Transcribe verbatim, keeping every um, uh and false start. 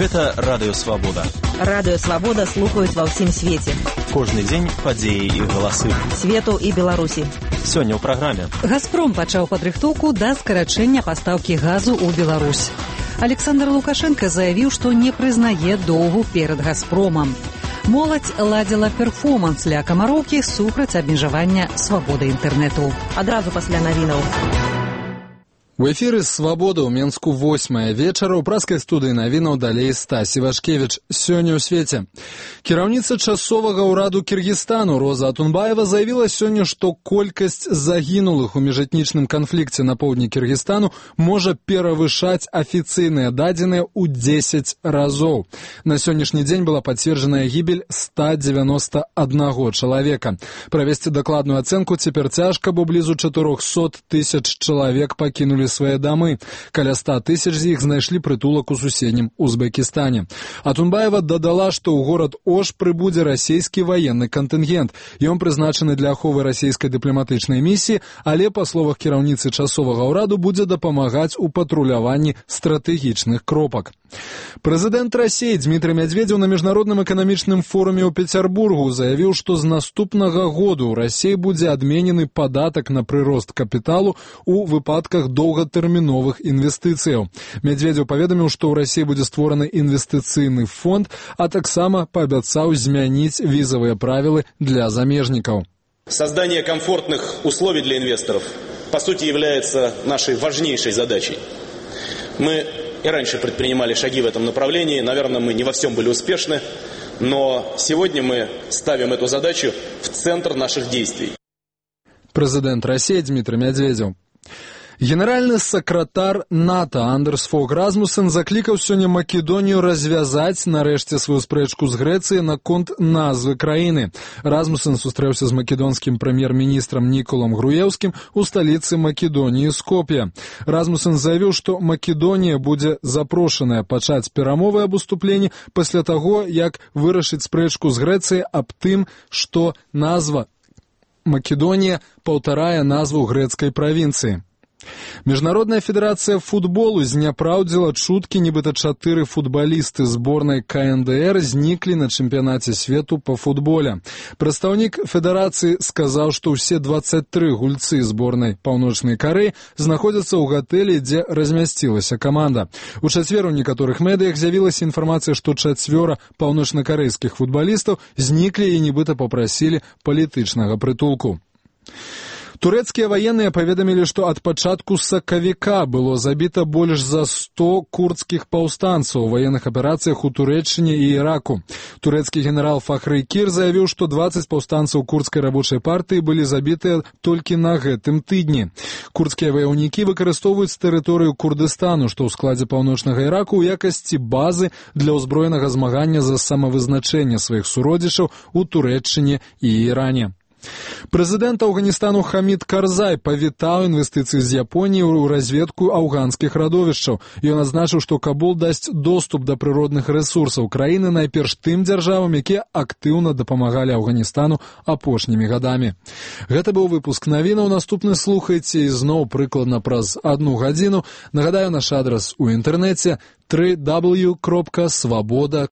Гэта Радыё Свабода. Радыё Свабода слухаюць ва ўсім свеце. Кожны дзень падзеі і галасы. Свету і Беларусі. Сёння ў праграме. «Газпром» пачаў падрыхтоўку да скарачэння пастаўкі газу ў Беларусь. Александр Лукашенко заявіў, што не прызнае доўгу перад «Газпромам». Моладзь ладзіла перформанс ля Камароўкі супраць абмежавання свабоды інтэрнэту. Адразу пасля навінаў. У эфіры «Свабода» ў Менску восьмая вечара. У праскай студыі навінаў далей Стась Івашкевіч. Сёння ў свеце. Кіраўніца часовага ўраду Кіргізстану Роза Атунбаева заявіла сёння, што колькасць загінулых у міжэтнічным канфлікце на поўдні Кіргізстану можа перавышаць афіцыйныя дадзеныя ў дзесяць разоў. На сённяшні дзень была пацверджаная гібель ста дзевяноста аднаго чалавека. Правесці дакладную ацэнку цяпер цяжка, бо блізу чатырохсот тысяч чалавек пакінулі свае дамы. Каля ста тысяч з іх знайшлі прытулак у суседнім Узбекістане. Атунбаева дадала, што ў горад Ош прыбудзе расійскі ваенны кантынгент. Ён прызначаны для аховы расійскай дыпламатычнай місіі, але, па словах кіраўніцы часовага ўраду, будзе дапамагаць у патруляванні стратэгічных кропак. Прэзідэнт Расіі Дмітрый Мядзведзеў на міжнародным эканамічным форуме ў Пецярбургу заявіў, што з наступнага году ў Расіі будзе адменены падатак на прырост капіталу ў выпадках доўгатэрміновых інвестыцыяў. Мядзведзеў паведаміў, што ў Расіі будзе створаны інвестыцыйны фонд, а таксама паабяцаў змяніць візавыя правілы для замежнікаў. Создание комфортных условий для инвесторов, по сути, является нашей важнейшей задачей. Мы и раньше предпринимали шаги в этом направлении. Наверное, мы не во всем были успешны, но сегодня мы ставим эту задачу в центр наших действий. Президент России Дмитрий Медведев. Генеральны сакратар НАТО Андерс Фог Расмуссен заклікаў сёння Македонію развязаць нарэшце сваю спрэчку з Грэцыяй наконт назвы краіны. Расмуссен сустрэўся з македонскім прэм'ер-міністрам Ніколам Груеўскім у сталіцы Македоніі Скоп'е. Расмуссен заявіў, што Македонія будзе запрошаная пачаць перамовы аб уступленні пасля таго, як вырашыць спрэчку з Грэцыяй аб тым, што назва Македонія паўтарае назву грэцкай правінцыі. Міжнародная федэрацыя футболу зняпраўдзіла чуткі, нібыта чатыры футбалісты зборнай ка эн дэ эр зніклі на чэмпіянаце свету па футболе. Прадстаўнік федэрацыі сказаў, што ўсе дваццаць тры гульцы зборнай Паўночнай Карэі знаходзяцца ў гатэлі, дзе размясцілася каманда. У чацвер у некаторых медыях з'явілася інфармацыя, што чацвёра паўночнакарэйскіх футбалістаў зніклі і нібыта папрасілі палітычнага прытулку. Турэцкія ваенныя паведамілі, што ад пачатку сакавіка было забіта больш за сто курдскіх паўстанцаў у ваенных аперацыях у Турэччыне і Іраку. Турэцкі генерал Фахрый Кір заявіў, што дваццаць паўстанцаў курдскай рабочай партыі былі забітыя толькі на гэтым тыдні. Курдскія ваяўнікі выкарыстоўваюць тэрыторыю Курдыстану, што ў складзе паўночнага Іраку, ў якасці базы для ўзброенага змагання за самавызначэнне сваіх суродзічаў у Турэччыне і Іране. Прэзідэнт Афганістану Хамід Карзай павітаў інвестыцыі з Японіі ў разведку афганскіх радовішчаў. Ён адзначыў, што Кабул дасць доступ да прыродных рэсурсаў краіны найперш тым дзяржавам, якія актыўна дапамагалі Афганістану апошнімі гадамі. Гэта быў выпуск навінаў. Наступны слухайце ізноў прыкладна праз адну гадзіну. Нагадаю, наш адрас у інтэрнэце дабл ю дабл ю дабл ю крапка свабода